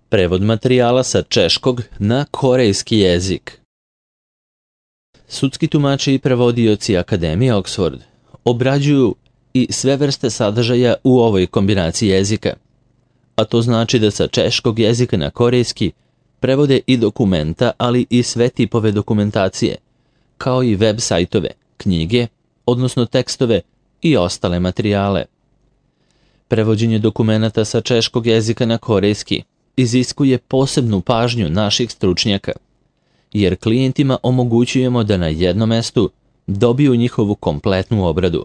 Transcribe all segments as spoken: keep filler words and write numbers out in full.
Prevod materijala sa češkog na korejski jezik. Sudski tumači i prevodioci Akademije Oxford obrađuju i sve vrste sadržaja u ovoj kombinaciji jezika, a to znači da sa češkog jezika na korejski prevode i dokumenta, ali i sve tipove dokumentacije, kao i web sajtove, knjige, odnosno tekstove i ostale materijale. Prevođenje dokumenata sa češkog jezika na korejski iziskuje posebnu pažnju naših stručnjaka, jer klijentima omogućujemo da na jednom mestu dobiju njihovu kompletnu obradu.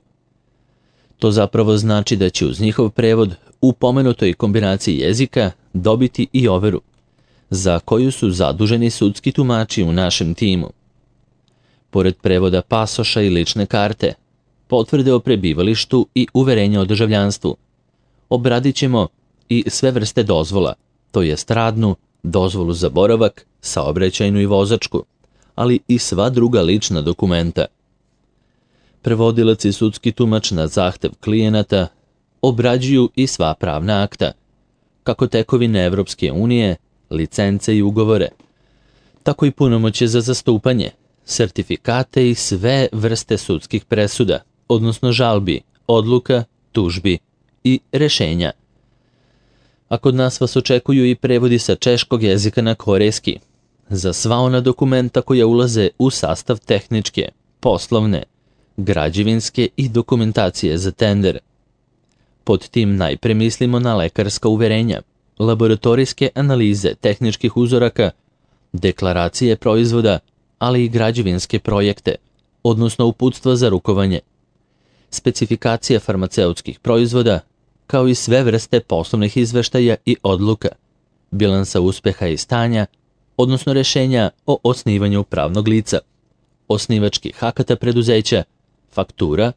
To zapravo znači da će uz njihov prevod u pomenutoj kombinaciji jezika dobiti i overu, za koju su zaduženi sudski tumači u našem timu. Pored prevoda pasoša i lične karte, potvrde o prebivalištu i uverenja o državljanstvu, obradit ćemo i sve vrste dozvola, to jest radnu, dozvolu za boravak, saobraćajnu i vozačku, ali i sva druga lična dokumenta. Prevodilac i sudski tumač na zahtev klijenata obrađuju i sva pravna akta, kako tekovine Evropske unije, licence i ugovore, tako i punomoćje za zastupanje, sertifikate i sve vrste sudskih presuda, odnosno žalbi, odluka, tužbi i rešenja. A kod nas vas očekuju i prevodi sa češkog jezika na korejski, za sva ona dokumenta koja ulaze u sastav tehničke, poslovne, građevinske i dokumentacije za tender. Pod tim najpre mislimo na lekarska uverenja, laboratorijske analize tehničkih uzoraka, deklaracije proizvoda, ali i građevinske projekte, odnosno uputstva za rukovanje, specifikacije farmaceutskih proizvoda, kao i sve vrste poslovnih izveštaja i odluka, bilansa uspeha i stanja, odnosno rešenja o osnivanju pravnog lica, osnivačkih akata preduzeća, faktura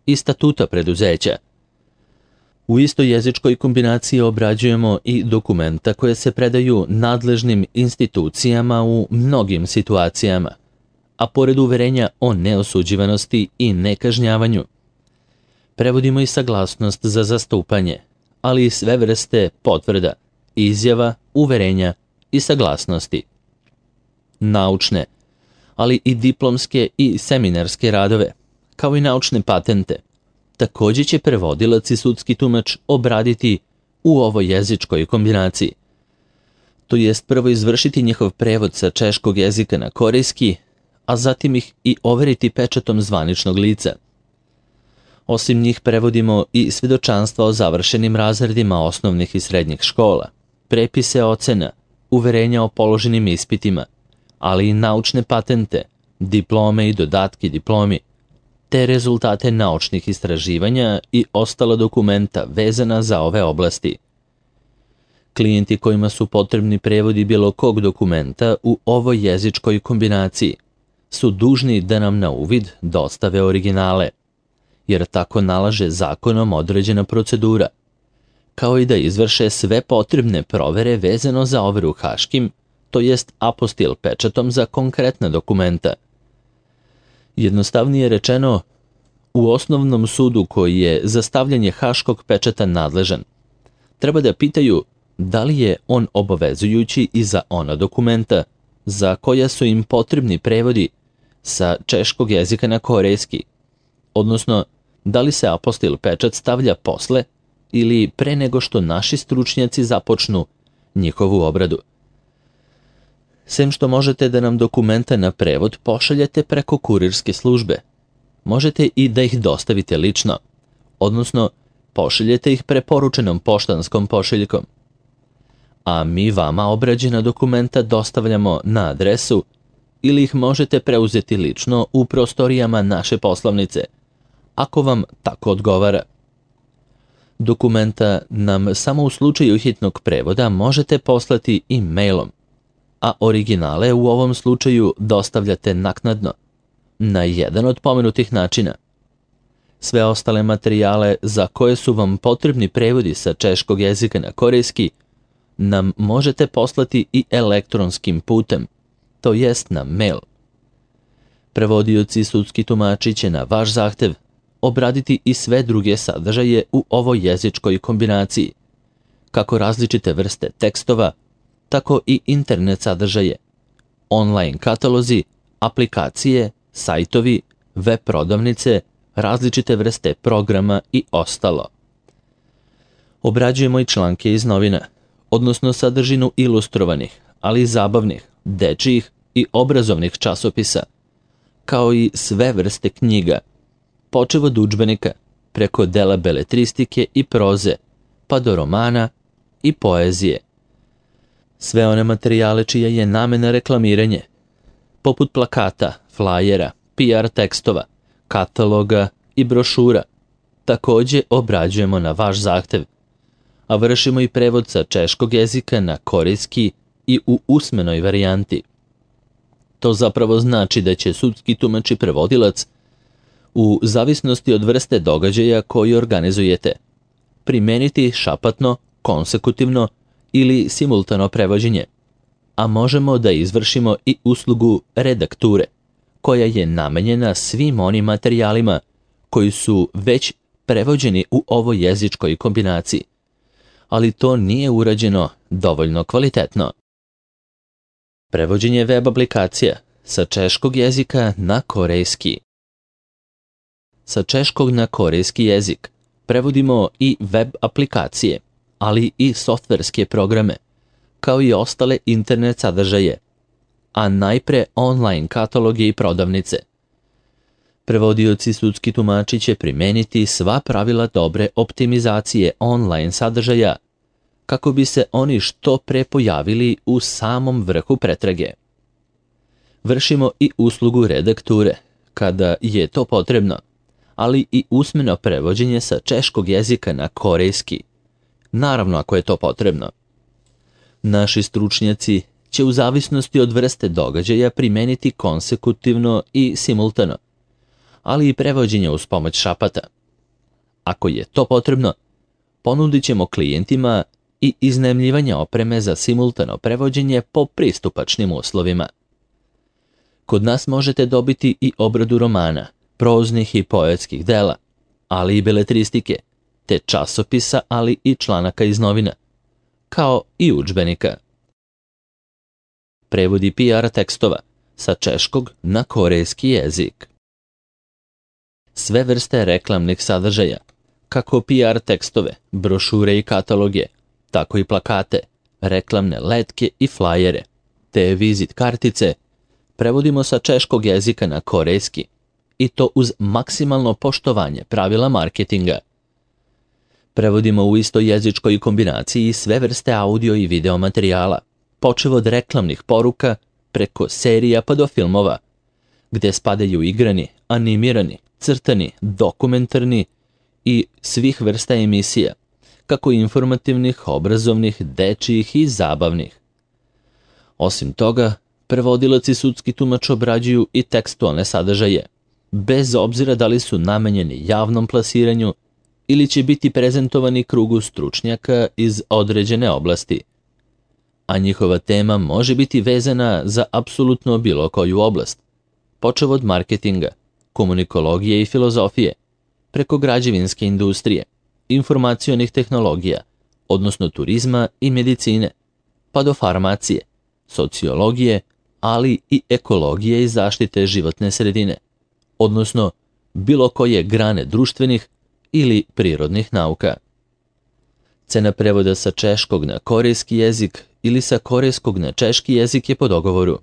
i statuta preduzeća. U istoj jezičkoj kombinaciji obrađujemo i dokumenta koje se predaju nadležnim institucijama u mnogim situacijama, a pored uverenja o neosuđivanosti i nekažnjavanju, prevodimo i saglasnost za zastupanje, ali i sve vrste potvrda, izjava, uverenja i saglasnosti. Naučne, ali i diplomske i seminarske radove, kao i naučne patente, također će prevodilac i sudski tumač obraditi u ovoj jezičkoj kombinaciji. To jest prvo izvršiti njihov prevod sa češkog jezika na korejski, a zatim ih i overiti pečatom zvaničnog lica. Osim njih prevodimo i svedočanstva o završenim razredima osnovnih i srednjih škola, prepise ocena, uverenja o položenim ispitima, ali i naučne patente, diplome i dodatke diplomi, te rezultate naučnih istraživanja i ostala dokumenta vezana za ove oblasti. Klijenti kojima su potrebni prevodi bilo kog dokumenta u ovoj jezičkoj kombinaciji su dužni da nam na uvid dostave originale, jer tako nalaže zakonom određena procedura, kao i da izvrše sve potrebne provere vezano za overu haškim, to jest apostil pečatom za konkretna dokumenta. Jednostavnije rečeno, u osnovnom sudu koji je za stavljanje haškog pečata nadležan, treba da pitaju da li je on obavezujući i za ona dokumenta za koja su im potrebni prevodi sa češkog jezika na korejski, odnosno da li se apostil pečat stavlja posle ili pre nego što naši stručnjaci započnu njihovu obradu. Sem što možete da nam dokumenta na prevod pošaljete preko kurirske službe, možete i da ih dostavite lično, odnosno pošaljete ih preporučenom poštanskom pošiljkom. A mi vama obrađena dokumenta dostavljamo na adresu ili ih možete preuzeti lično u prostorijama naše poslovnice, ako vam tako odgovara. Dokumenta nam samo u slučaju hitnog prevoda možete poslati i mailom, a originale u ovom slučaju dostavljate naknadno, na jedan od pomenutih načina. Sve ostale materijale za koje su vam potrebni prevodi sa češkog jezika na korejski nam možete poslati i elektronskim putem, to jest na mail. Prevodioci i sudski tumači će na vaš zahtev obraditi i sve druge sadržaje u ovoj jezičkoj kombinaciji, kako različite vrste tekstova, tako i internet sadržaje, online katalozi, aplikacije, sajtovi, web prodavnice, različite vrste programa i ostalo. Obrađujemo i članke iz novina, odnosno sadržinu ilustrovanih, ali i zabavnih, dečijih i obrazovnih časopisa, kao i sve vrste knjiga, počev od udžbenika, preko dela beletristike i proze, pa do romana i poezije. Sve one materijale čija je namena reklamiranje, poput plakata, flajera, P R tekstova, kataloga i brošura, takođe obrađujemo na vaš zahtev, a vršimo i prevod sa češkog jezika na korejski i u usmenoj varijanti. To zapravo znači da će sudski tumač i prevodilac, u zavisnosti od vrste događaja koji organizujete, primeniti šapatno, konsekutivno ili simultano prevođenje, a možemo da izvršimo i uslugu redakture, koja je namenjena svim onim materijalima koji su već prevođeni u ovoj jezičkoj kombinaciji, ali to nije urađeno dovoljno kvalitetno. Prevođenje web aplikacija sa češkog jezika na korejski. Sa češkog na korejski jezik prevodimo i web aplikacije, ali i softverske programe, kao i ostale internet sadržaje, a najpre online kataloge i prodavnice. Prevodioci sudski tumači će primeniti sva pravila dobre optimizacije online sadržaja, kako bi se oni što pre pojavili u samom vrhu pretrage. Vršimo i uslugu redakture, kada je to potrebno, ali i usmeno prevođenje sa češkog jezika na korejski, naravno ako je to potrebno. Naši stručnjaci će u zavisnosti od vrste događaja primeniti konsekutivno i simultano, ali i prevođenje uz pomoć šapata. Ako je to potrebno, ponudit ćemo klijentima i iznajmljivanje opreme za simultano prevođenje po pristupačnim uslovima. Kod nas možete dobiti i obradu romana, proznih i poetskih dela, ali i beletristike, te časopisa, ali i članaka iz novina, kao i udžbenika. Prevodi P R tekstova sa češkog na korejski jezik. Sve vrste reklamnih sadržaja, kako P R tekstove, brošure i kataloge, tako i plakate, reklamne letke i flajere, te vizit kartice, prevodimo sa češkog jezika na korejski, i to uz maksimalno poštovanje pravila marketinga. Prevodimo u istoj jezičkoj kombinaciji sve vrste audio i video materijala, počev od reklamnih poruka, preko serija pa do filmova, gde spadaju igrani, animirani, crtani, dokumentarni i svih vrsta emisija, kako informativnih, obrazovnih, dečijih i zabavnih. Osim toga, prevodilac i sudski tumač obrađuju i tekstualne sadržaje, bez obzira da li su namenjeni javnom plasiranju ili će biti prezentovani krugu stručnjaka iz određene oblasti, a njihova tema može biti vezana za apsolutno bilo koju oblast, počev od marketinga, komunikologije i filozofije, preko građevinske industrije, informacionih tehnologija, odnosno turizma i medicine, pa do farmacije, sociologije, ali i ekologije i zaštite životne sredine, odnosno bilo koje grane društvenih ili prirodnih nauka. Cena prevoda sa češkog na korejski jezik ili sa korejskog na češki jezik je po dogovoru.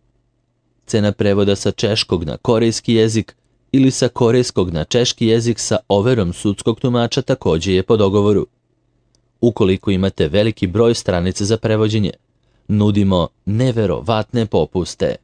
Cena prevoda sa češkog na korejski jezik ili sa korejskog na češki jezik sa overom sudskog tumača takođe je po dogovoru. Ukoliko imate veliki broj stranica za prevođenje, nudimo neverovatne popuste.